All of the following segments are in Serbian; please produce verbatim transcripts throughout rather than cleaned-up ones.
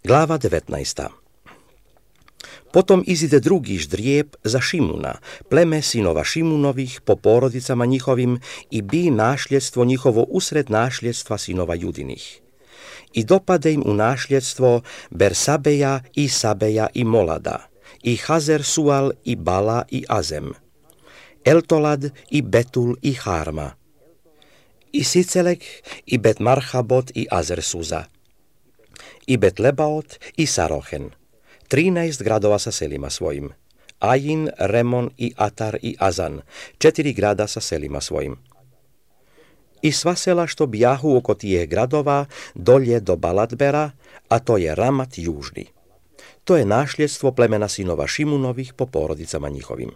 Glava devetnaesta. Potom izide drugi ždrijeb za Šimuna, pleme sinova Šimunovih po porodicama njihovim i bi našljedstvo njihovo usred našljedstva sinova Judinih. I dopade im u našljedstvo Bersabeja i Sabeja i Molada, i Hazer Sual i Bala i Azem, Eltolad i Betul i Harma, i Sicelek i Bet Marhabot i Azer Suza, i Bet Lebaot i Sarohen, trinaest gradova sa selima svojim, Ajin, Remon i Atar i Azan, četiri grada sa selima svojim. I sva sela što bijahu oko tijeh gradova dolje do Balatbera, a to je Ramat južni. To je našljedstvo plemena sinova Šimunovih po porodicama njihovim.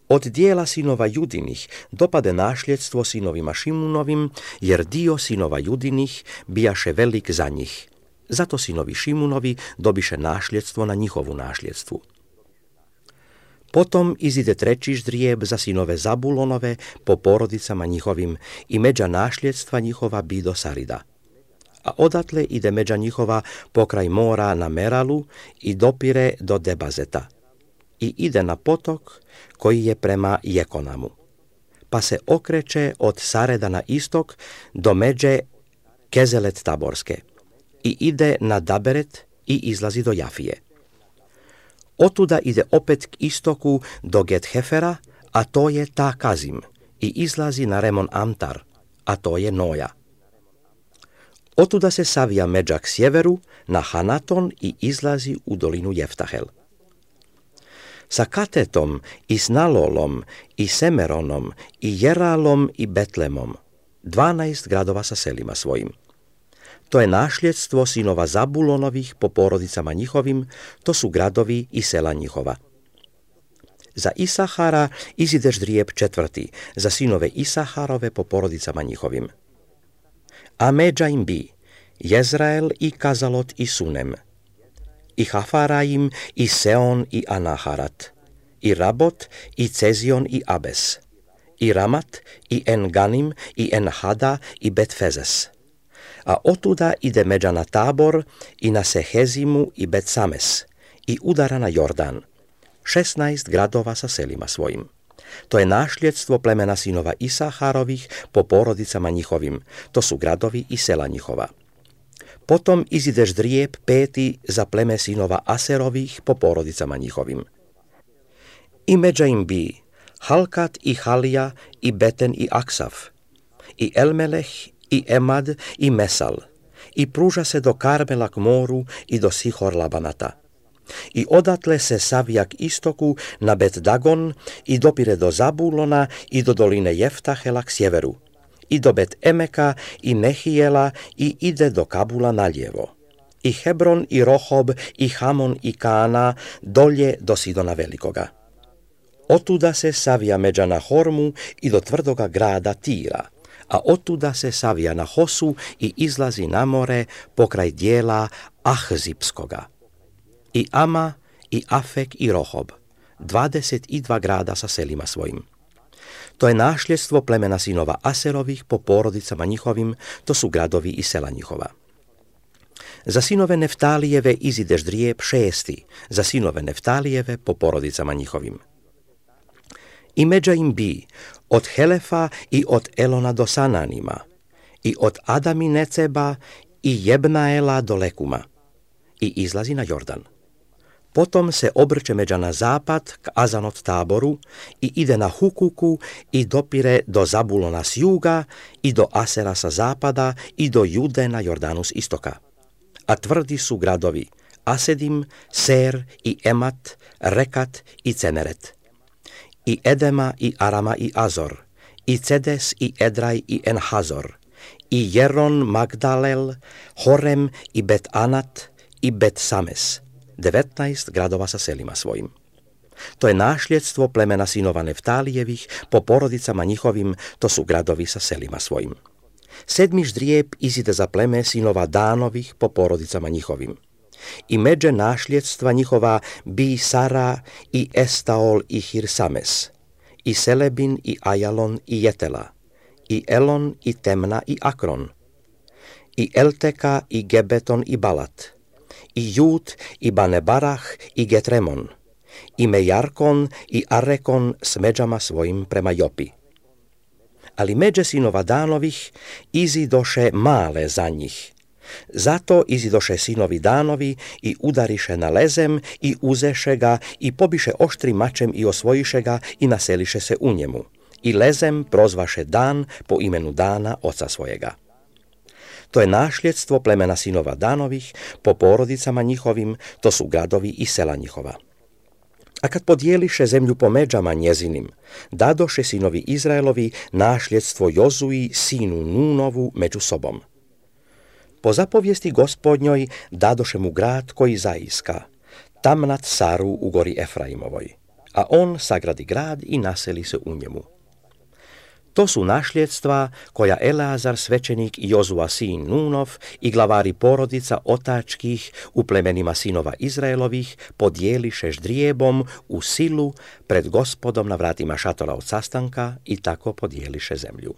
Od dijela sinova Judinih dopade našljedstvo sinovima Šimunovim, jer dio sinova Judinih bijaše velik za njih. Zato sinovi Šimunovi dobiše našljedstvo na njihovu našljedstvu. Potom izide treći ždrijeb za sinove Zabulonove po porodicama njihovim i međa našljedstva njihova bi do Sarida. A odatle ide međa njihova pokraj mora na Meralu i dopire do Debazeta. I ide na potok koji je prema Jekonamu. Pa se okreće od Sareda na istok do međe Kezelet Taborske. I ide na Daberet i izlazi do Jafije. Otuda ide opet k istoku do Gethefera, a to je Ta Kazim, i izlazi na Remon Amtar, a to je Noja. Otuda se savija međa k sjeveru na Hanaton i izlazi u dolinu Jeftahel. Sa Katetom i s Nalolom i Semeronom i Jeralom i Betlemom, dvanaest gradova sa selima svojim. To je našljedstvo sinova Zabulonovih po porodicama njihovim, to su gradovi i sela njihova. Za Isahara izide ždrijeb četvrti, za sinove Isaharove po porodicama njihovim. A međa im bi Jezrael i Kazalot i Sunem, i Hafaraim i Seon i Anaharat, i Rabot i Cezion i Abes, i Ramat i Enganim i Enhada i Betfezes. A otuda ide međa na Tabor i na Sehezimu i Bet-Sames i udara na Jordan, šesnaest gradova sa selima svojim. To je našljedstvo plemena sinova Isaharovih po porodicama njihovim, to su gradovi i sela njihova. Potom izide ždrijeb peti za pleme sinova Aserovih po porodicama njihovim. I međa im bi Halkat i Halija i Beten i Aksaf, i Elmeleh i Emad i Mesal, i pruža se do Karmela k moru i do Sihor Labanata. I odatle se savija k istoku na Bet Dagon i dopire do Zabulona i do doline Jeftahela k sjeveru, i do Bet Emeka i Nehijela i ide do Kabula naljevo, i Hebron i Rohob i Hamon i Kana dolje do Sidona Velikoga. Otuda se savija međa na Hormu i do tvrdoga grada Tira, a otuda se savija na Hosu i izlazi na more pokraj dijela Ahzipskoga. I Ama, i Afek, i Rohob, dvadeset i dva grada sa selima svojim. To je našljedstvo plemena sinova Aserovih po porodicama njihovim, to su gradovi i sela njihova. Za sinove Neftalijeve izide ždrijeb šesti, za sinove Neftalijeve po porodicama njihovim. I međa im bi od Helefa i od Elona do Sananima, i od Adamineceba i Jebnaela do Lekuma, i izlazi na Jordan. Potom se obrće međa na zapad k Azanot Taboru i ide na Hukuku i dopire do Zabulona s juga i do Asera sa zapada i do Jude na Jordanu s istoka. A tvrdi su gradovi Asedim, Ser i Emat, Rekat i Ceneret, i Edema i Arama i Azor, i Cedes i Edraj i Enhazor, i Jeron Magdalel, Horem i Bet Anat i Bet Sames, devetnaest gradova sa selima svojim. To je našljedstvo plemena sinova Neftalijevih po porodicama njihovim, to su gradovi sa selima svojim. Sedmi ždrijeb izide za pleme sinova Danovih po porodicama njihovim. I međe našljedstva njihova bi Sara i Estaol i Hirsames, i Selebin i Ajalon i Jetela, i Elon i Temna i Akron, i Elteka i Gebeton i Balat, i Jud, i Banebarah, i Getremon, i Mejarkon, i Arekon s međama svojim prema Jopi. Ali međe sinova Danovih izidoše male za njih. Zato izidoše sinovi Danovi i udariše na lezem i uzeše ga i pobiše oštrim mačem i osvojiše ga i naseliše se u njemu. I lezem prozvaše Dan po imenu Dana oca svojega. To je našljedstvo plemena sinova Danovih po porodicama njihovim, to su gradovi i sela njihova. A kad podijeliše zemlju po međama njezinim, dadoše sinovi Izraelovi našljedstvo Jozuji, sinu Nunovu, među sobom. Po zapovijesti Gospodnjoj dadoše mu grad koji zaiska, Tamnat Saru u gori Efraimovoj, a on sagradi grad i naseli se u njemu. To su našljedstva koja Eleazar svećenik i Jozua sin Nunov i glavari porodica otačkih u plemenima sinova Izraelovih podijeliše ždrijebom u silu pred Gospodom na vratima šatora od sastanka i tako podijeliše zemlju.